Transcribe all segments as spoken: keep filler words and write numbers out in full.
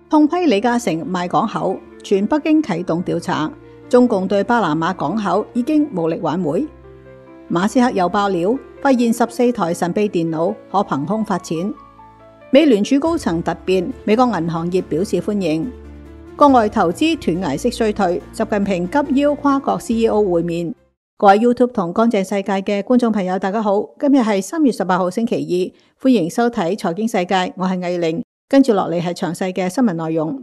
痛批李嘉誠賣港口，全北京啟動調查。中共對巴拿馬港口已經無力挽回。馬斯克又爆料，發現十四台神秘電腦可憑空發錢。美聯儲高層突變，美國銀行業表示歡迎。國外投資斷崖式衰退，習近平急邀跨國 C E O 會面。各位 YouTube 同乾淨世界嘅觀眾朋友，大家好，今日係三月十八號星期二，歡迎收睇財經世界，我係藝玲，跟住落嚟係詳細嘅新聞內容。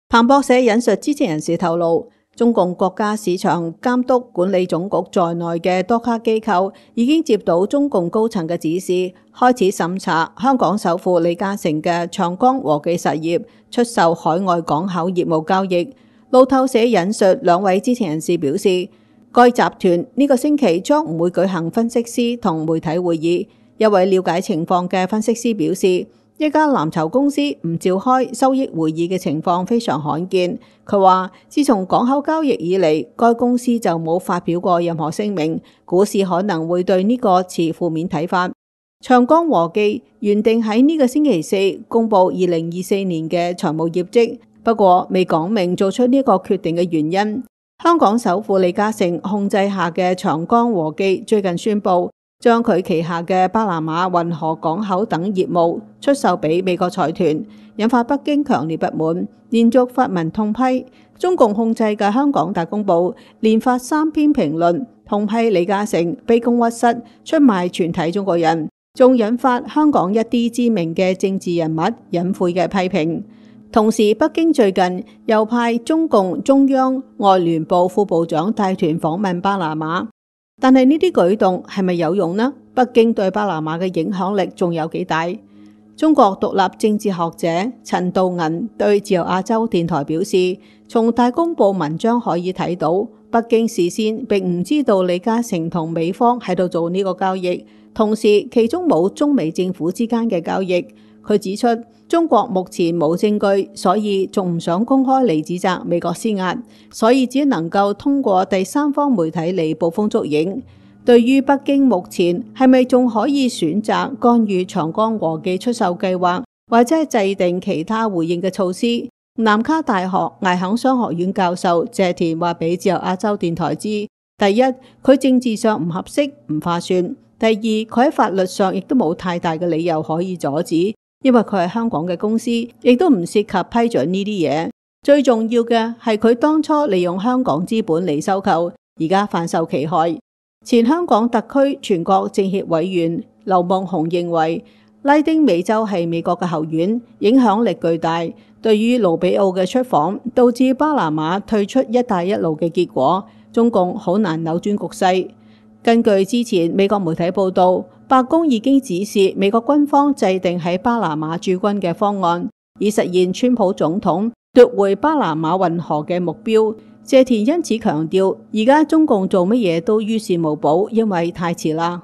彭博社引述知情人士透露，中共國家市場監督管理總局在內嘅多家機構已經接到中共高層嘅指示，開始審查香港首富李嘉誠嘅長江和記實業出售海外港口業務交易。路透社引述兩位知情人士表示，該集團呢個星期將唔會舉行分析師同媒體會議。一位了解情況嘅分析師表示，一家藍籌公司唔召開收益會議嘅情況非常罕見。佢話，自從港口交易以嚟，該公司就冇發表過任何聲明，股市可能會對呢個持負面睇法。長江和記原定喺呢個星期四公布二零二四年嘅財務業績，不過未講明做出呢個決定嘅原因。香港首富李嘉誠控制下嘅長江和記最近宣布，將佢旗下嘅巴拿馬運河港口等業務出售俾美國財團，引發北京強烈不滿，連續發文痛批。中共控制嘅香港大公報連發三篇評論，痛批李嘉誠卑躬屈膝，出賣全體中國人，仲引發香港一啲知名嘅政治人物隱晦嘅批評。同時，北京最近又派中共中央外聯部副部長帶團訪問巴拿馬，但係呢啲舉動係咪有用呢？北京對巴拿馬嘅影響力仲有幾大？中國獨立政治學者陳道銀對自由亞洲電台表示，從大公報文章可以睇到，北京事先並唔知道李嘉誠同美方喺度做呢個交易，同時其中冇中美政府之間嘅交易。佢指出，中國目前冇證據，所以仲唔想公開嚟指責美國施壓，所以只能夠通過第三方媒體嚟捕風捉影。對於北京目前係咪仲可以選擇干預長江和記出售計劃，或者係制定其他回應嘅措施，南卡大學艾肯商學院教授謝田話俾自由亞洲電台知：第一，佢政治上唔合適，唔划算；第二，佢喺法律上亦都冇太大嘅理由可以阻止。因為佢係香港嘅公司，亦都唔涉及批准呢啲嘢。最重要嘅係佢當初利用香港資本嚟收購，而家反受其害。前香港特區全國政協委員劉夢熊認為，拉丁美洲係美國嘅後院，影響力巨大。對於盧比奧嘅出訪，導致巴拿馬退出一帶一路嘅結果，中共好難扭轉局勢。根據之前美國媒體報道，白宮已經指示美國軍方制定喺巴拿馬駐軍嘅方案，以實現川普總統奪回巴拿馬運河嘅目標。謝田因此強調，而家中共做乜嘢都於事無補，因為太遲啦。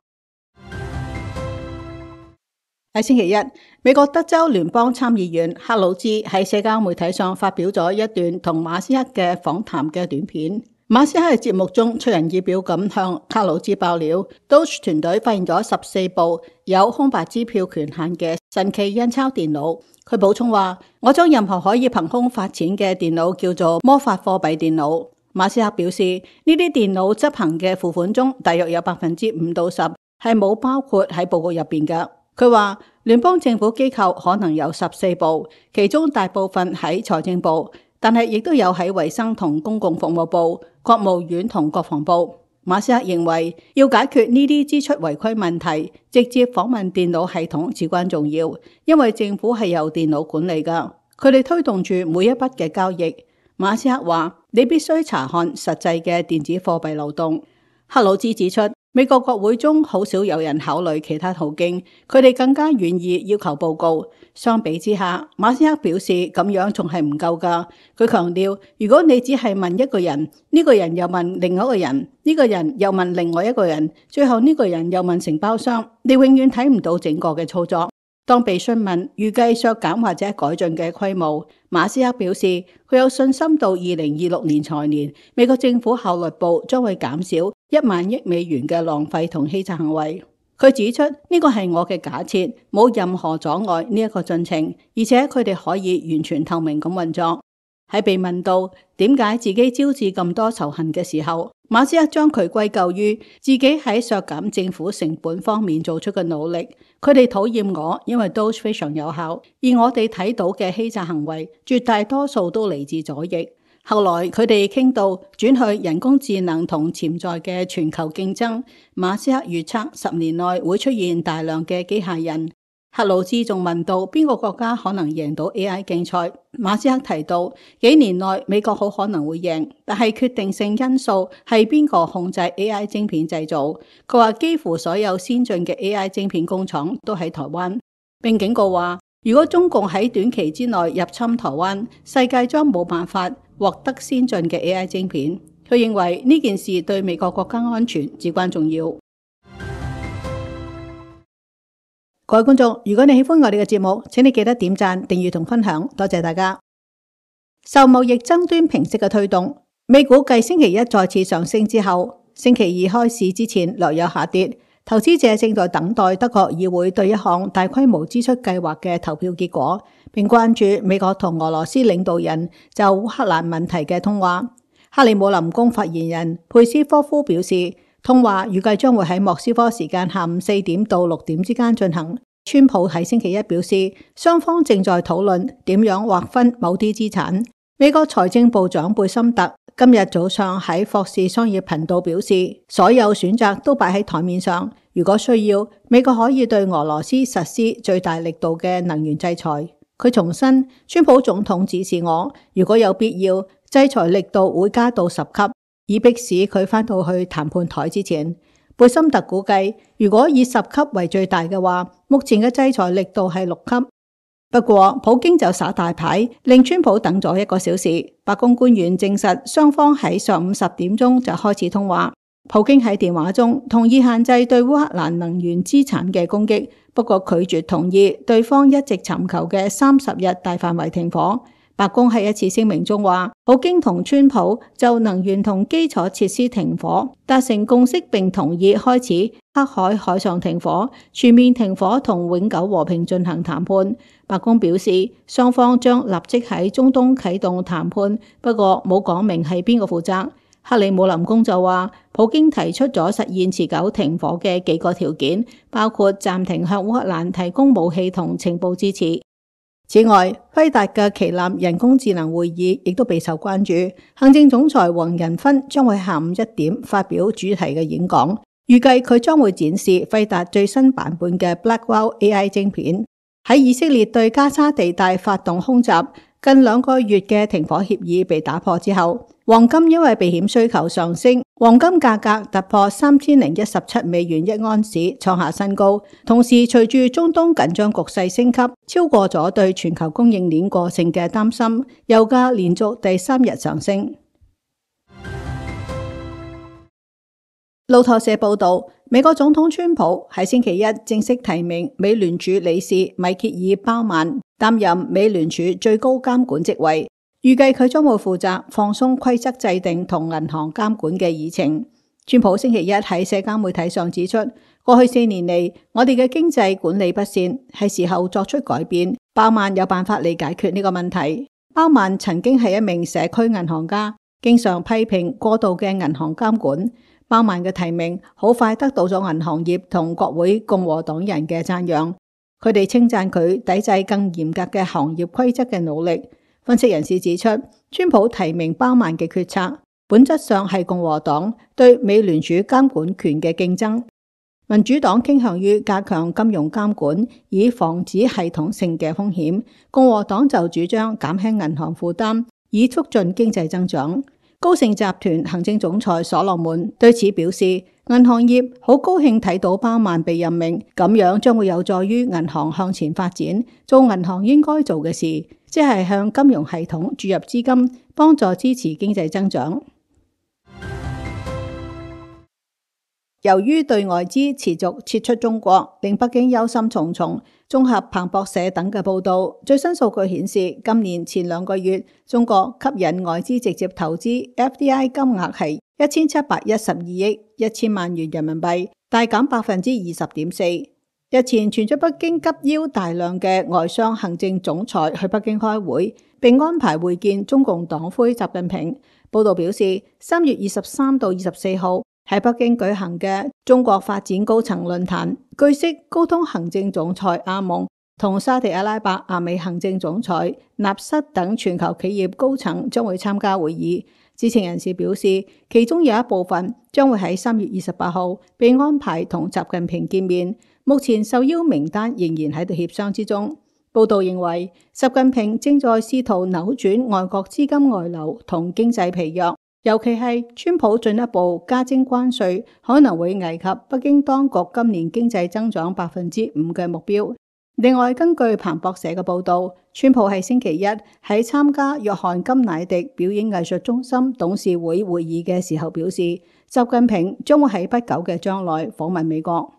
喺星期一，美國德州聯邦參議員克魯茲喺社交媒體上發表咗一段同馬斯克嘅訪談嘅短片。馬斯克喺節目中出人意表咁向克魯茲爆料 ，Doge 團隊發現咗十四部有空白支票權限嘅神奇印鈔電腦。佢補充話：我將任何可以憑空發錢嘅電腦叫做魔法貨幣電腦。馬斯克表示，呢啲電腦執行嘅付款中，大約有百分之五到十係冇包括喺報告入邊嘅。佢話聯邦政府機構可能有十四部，其中大部分喺財政部。但係亦都有喺衛生同公共服務部、國務院同國防部。馬斯克認為要解決呢啲支出違規問題，直接訪問電腦系統至關重要，因為政府係由電腦管理㗎，佢哋推動住每一筆嘅交易。馬斯克話：你必須查看實際嘅電子貨幣流動。克魯茲指出，美國國會中好少有人考慮其他途徑，佢哋更加願意要求報告。相比之下，馬斯克表示咁樣仲係唔夠㗎。佢強調，如果你只係問一個人，呢個人又問另外一個人，呢個人又問另外一個人，最後呢個人又問承包商，你永遠睇唔到整個嘅操作。當被詢問預計削減或者改進嘅規模，馬斯克表示佢有信心到二零二六年財年，美國政府效率部將會減少一萬億美元嘅浪費同欺詐行為。佢指出呢個係我嘅假設，冇任何阻礙呢一個進程，而且佢哋可以完全透明咁運作。喺被問到點解自己招致咁多仇恨嘅時候，馬斯克將佢歸咎於自己喺削減政府成本方面做出嘅努力。佢哋討厭我，因為 Doge 非常有效，而我哋睇到嘅欺詐行為絕大多數都嚟自左翼。後來佢哋傾到轉去人工智能同潛在嘅全球競爭，馬斯克預測十年內會出現大量嘅機械人。克魯茲仲問到邊個國家可能贏到 A I 競賽，馬斯克提到幾年內美國好可能會贏，但係決定性因素係邊個控制 A I 晶片製造。佢話幾乎所有先進嘅 A I 晶片工廠都喺台灣，並警告話如果中共喺短期之內入侵台灣，世界將冇辦法獲得先進嘅 A I 晶片。佢認為呢件事對美國國家安全至關重要。各位觀眾，如果你喜歡我哋嘅節目，請你記得點讚、訂閱同分享，多謝大家。受貿易爭端平息嘅推動，美股繼星期一再次上升之後，星期二開市之前略有下跌。投資者正在等待德國議會對一項大規模支出計劃嘅投票結果，並關注美國同俄羅斯領導人就烏克蘭問題嘅通話。克里姆林宮發言人佩斯科夫表示，通話預計將會喺莫斯科時間下午四點到六點之間進行。川普喺星期一表示，雙方正在討論點樣劃分某啲資產。美國財政部長貝森特今日早上喺霍士商業頻道表示，所有選擇都擺喺台面上，如果需要，美國可以對俄羅斯實施最大力度嘅能源制裁。佢重申，川普總統指示我，如果有必要，制裁力度會加到十級，以迫使佢返到去談判台之前。貝森特估計，如果以十級為最大嘅話，目前嘅制裁力度係六級。不過，普京就耍大牌，令川普等咗一個小時。白宮官員證實，雙方喺上午十點鐘就開始通話。普京喺電話中同意限制對烏克蘭能源資產嘅攻擊，不過拒絕同意對方一直尋求嘅三十日大範圍停火。白宮喺一次聲明中話，普京同川普就能源同基礎設施停火達成共識，並同意開始黑海海上停火、全面停火同永久和平進行談判。白宮表示，雙方將立即喺中東啟動談判，不過冇講明係邊個負責。克里姆林宮就話，普京提出咗實現持久停火嘅幾個條件，包括暫停向烏克蘭提供武器同情報支持。此外，輝達嘅旗艦人工智能會議亦都備受關注。行政總裁黃仁勳將會下午一點發表主題嘅演講，預計佢將會展示輝達最新版本嘅 Blackwell A I 晶片。喺以色列對加沙地帶發動空襲，近兩個月嘅停火協議被打破之後，黃金因為避險需求上升，黃金價格突破三千零一十七美元一盎司，創下新高。同時，隨住中東緊張局勢升級，超過咗對全球供應鏈過剩嘅擔心，油價連續第三日上升。路透社報道，美國總統川普喺星期一正式提名美聯儲理事米歇爾·鮑曼擔任美聯儲最高監管職位。預計佢將會負責放鬆規則制定同銀行監管嘅議程。川普星期一喺社交媒體上指出，過去四年嚟，我哋嘅經濟管理不善，係時候作出改變。鮑曼有辦法嚟解決呢個問題。鮑曼曾經係一名社區銀行家，經常批評過度嘅銀行監管。鮑曼嘅提名好快得到咗銀行業同國會共和黨人嘅讚揚，佢哋稱讚佢抵制更嚴格嘅行業規則嘅努力。分析人士指出，川普提名鮑曼嘅決策本質上係共和黨對美聯儲監管權嘅競爭。民主黨傾向於加強金融監管，以防止系統性嘅風險；共和黨就主張減輕銀行負擔，以促進經濟增長。高盛集團行政總裁所羅門對此表示，銀行業好高興睇到鮑曼被任命，咁樣將會有助於銀行向前發展，做銀行應該做嘅事，即係向金融系統注入資金，幫助支持經濟增長。由於對外資持續撤出中國，令北京憂心忡忡。綜合彭博社等嘅報道，最新數據顯示，今年前兩個月中國吸引外資直接投資 F D I 金額係一千七百一十二億一千萬元人民幣，大減百分之二十點四。日前傳出北京急邀大量嘅外商行政總裁去北京開會，並安排會見中共黨魁習近平。報道表示，三月二十三到二十四號喺北京舉行嘅中國發展高層論壇，據悉高通行政總裁阿蒙同沙特阿拉伯阿美行政總裁納瑟等全球企業高層將會參加會議。知情人士表示，其中有一部分將會喺三月二十八號被安排同習近平見面。目前受邀名單仍然喺度協商之中。報道認為，習近平正在試圖扭轉外國資金外流同經濟疲弱，尤其係川普進一步加徵關稅，可能會危及北京當局今年經濟增長百分之五嘅目標。另外，根據彭博社嘅報道，川普喺星期一喺參加約翰甘迺迪表演藝術中心董事會會議嘅時候表示，習近平將會喺不久嘅將來訪問美國。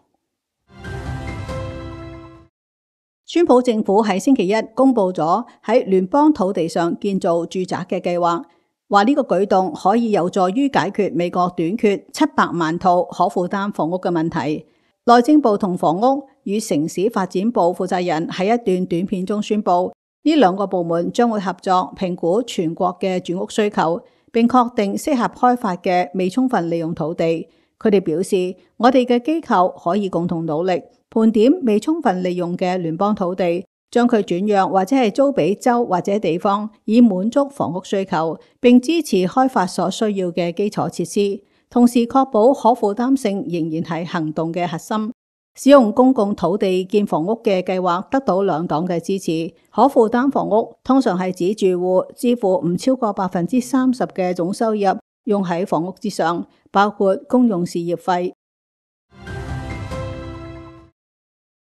川普政府喺星期一公布咗喺聯邦土地上建造住宅嘅計劃，話呢個舉動可以有助於解決美國短缺七百萬套可負擔房屋嘅問題。內政部同房屋與城市發展部負責人喺一段短片中宣布，呢兩個部門將會合作評估全國嘅住屋需求，並確定適合開發嘅未充分利用土地。佢哋表示，我哋嘅機構可以共同努力盤點未充分利用嘅聯邦土地，將佢轉讓或者係租俾州或者地方，以滿足房屋需求，並支持開發所需要嘅基礎設施，同時確保可負擔性仍然係行動嘅核心。使用公共土地建房屋嘅計劃得到兩黨嘅支持。可負擔房屋通常係指住戶支付唔超過百分之三十嘅總收入用喺房屋之上，包括公用事業費。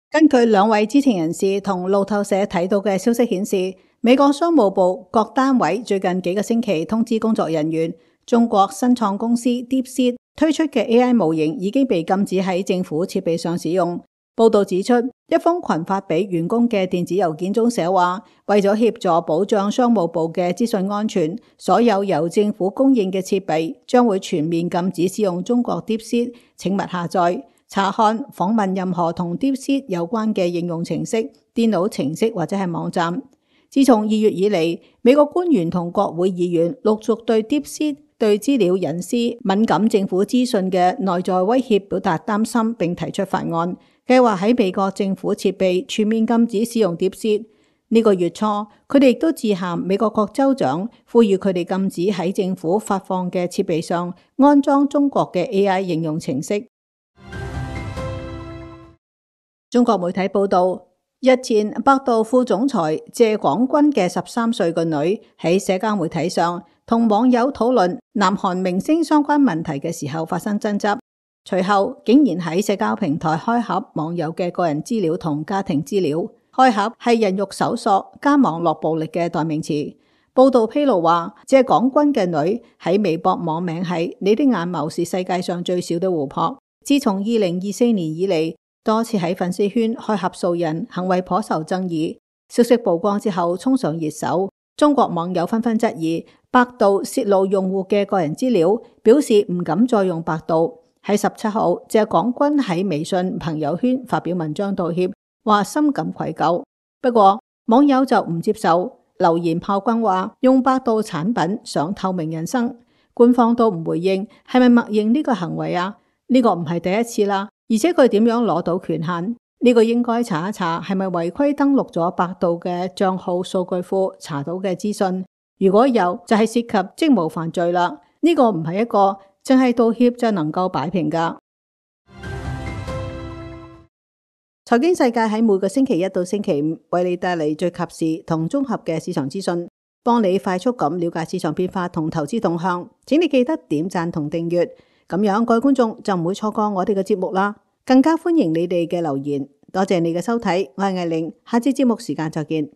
根據兩位知情人士同路透社睇到嘅消息顯示，美國商務部各單位最近幾個星期通知工作人員，中國新創公司 DeepSeek 推出嘅 A I 模型已經被禁止喺政府設備上使用。報道指出，一封群發俾員工嘅電子郵件中寫話，為咗協助保障商務部嘅資訊安全，所有由政府供應嘅設備將會全面禁止使用中國 DeepSeek， 請勿下載、查看、訪問任何同 DeepSeek 有關嘅應用程式、電腦程式或者係網站。自從二月以嚟，美國官員同國會議員陸續對 DeepSeek 對資料隱私、敏感政府資訊嘅內在威脅表達擔心，並提出法案，計劃喺美國政府設備全面禁止使用 DeepSeek。呢個月初，佢哋亦都致函美國各州長，呼籲佢哋禁止喺政府發放嘅設備上安裝中國嘅 A I 應用程式。中國媒體報道，日前百度副總裁謝廣軍嘅十三歲個女喺社交媒體上同網友討論南韓明星相關問題嘅時候發生爭執，隨後竟然喺社交平台開盒網友嘅個人資料同家庭資料。開盒係人肉搜索加網絡暴力嘅代名詞。報道披露話，謝廣軍嘅女喺微博網名係你的眼眸是世界上最小的湖泊，自從二零二四年以嚟，多次喺粉絲圈開盒掃人，行為頗受爭議。消息曝光之後衝上熱搜，中國網友紛紛質疑百度洩露用戶嘅個人資料，表示唔敢再用百度。喺十七號，謝廣軍喺微信朋友圈發表文章道歉，話深感愧疚。不過網友就唔接受，留言炮轟話用百度產品想透明人生，官方都唔回應，係咪默認呢個行為啊？呢個唔係第一次啦。而且佢點樣攞到權限？呢個應該查一查係咪違規登錄咗百度嘅賬號數據庫查到嘅資訊。如果有，就係涉及職務犯罪啦。呢個唔係一個淨係道歉就能夠擺平噶。財經世界喺每個星期一到星期五為你帶嚟最及時同綜合嘅市場資訊，幫你快速咁了解市場變化同投資動向。請你記得點讚同訂閱。咁樣各位觀眾就唔會錯過我哋嘅節目啦，更加歡迎你哋嘅留言。多謝你嘅收睇，我係艾玲，下次節目時間再見。